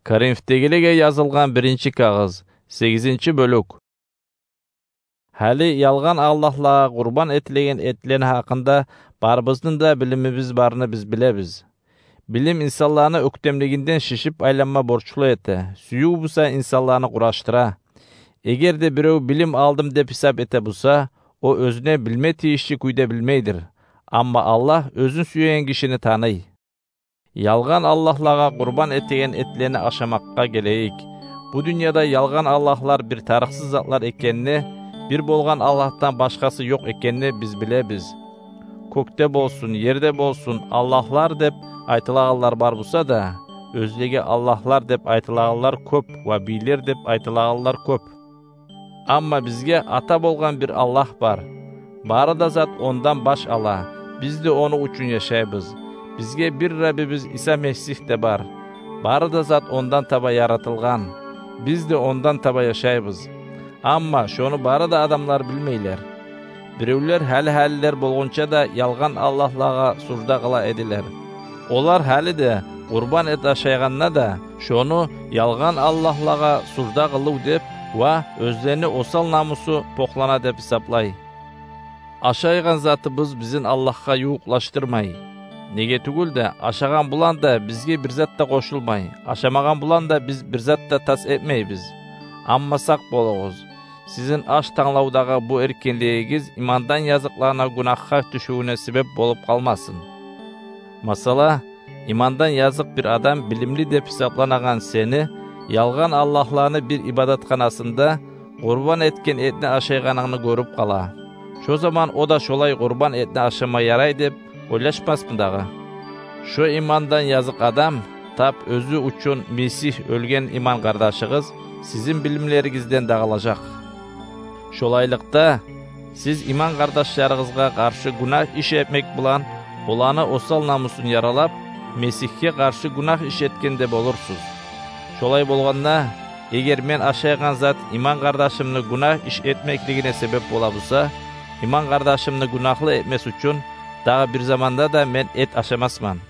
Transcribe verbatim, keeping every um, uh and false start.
Коринфдегилеге язылгъан биринчи кагъыз, сегизинчи бёлюк. Гьали ялгъан аллагьлагъа къурбан этилеген этлени гьакъында барыбызны да билимибиз барны биз билебиз. Билим инсанланы оьктемлигинден шишип айланма борчлу эте, сююв буса инсанланы къурашдыра. Эгер де бирев билим алдым деп гьисап эте буса, о оьзюне билме тийишли кюйде билмейдир. Амма Аллагь оьзюн сюеген гишини таный. Ялгъан аллагьлагъа къурбан этеген этлени ашамакъгъа гелейик. Бу дюньяда ялгъан аллагьлар бир тарыкъсыз затлар экенни, бир болгъан Аллагьдан башгъасы ёкъ экенни биз билебиз. Кёкде болсун, ерде болсун, аллагьлар деп айтылагъанлар бар буса да, оьзлеге аллагьлар деп айтылагъанлар кёп ва бийлер деп айтылагъанлар кёп. Амма бизге ата болгъан бир Аллагь бар. Бары да зат ондан баш ала. Биз де ону учун яшайбыз. Бизге бир Раббибиз Иса Месигь де бар. Бары да зат ондан таба яратылгъан. Биз де ондан таба яшайбыз. Амма шону бары да адамлар билмейлер. Биревлер гьали-гьалилер болгъунча да ялгъан аллагьлагъа сужда къыла эдилер. Олар гьали де къурбан эт ашайгъанда да шону ялгъан аллагьлагъа сужда къылыв деп ва оьзлени осал намусу покълана деп гьисаплай. Ашайгъан затыбыз бизин Аллагьгъа ювукълашдырмай. Неге тюгюл де, ашагъан булан да бизге бир зат да къошулмай, ашамагъан булан да биз бир зат да тас этмейбиз. Амма сакъ болугъуз. Сизин аш танглавдагъы бу эркинлигигиз имандан языкъланы гюнагьгъа тюшювюне себеп болуп къалмасын. Масала, имандан языкъ бир адам билимли деп гьисапланагъан сени ялгъан аллагьланы бир ибадатханасында къурбан этген этни ашайгъанынгны гёрюп къала. Шо заман о да шолай къурбан этни ашама ярай деп ойлашмасмы дагъы? Шо имандан языкъ адам, тап оьзю учун Месигь оьлген иман къардашыгъыз, сизин билимлеригизден дагъылажакъ. Шолайлыкъда, сиз иман къардашларыгъызгъа къаршы гюнагь иш этмек булан оланы осал намусун яралап, Месигьге къаршы гюнагь иш этгенде болурсуз. Шолай болгъанда, эгер мен ашайгъан зат иман къардашымны гюнагь иш этмеклигине себеп бола буса, иман къардашымны гюнагьлы этмес учун дагъы бир заманда да мен эт ашамасман.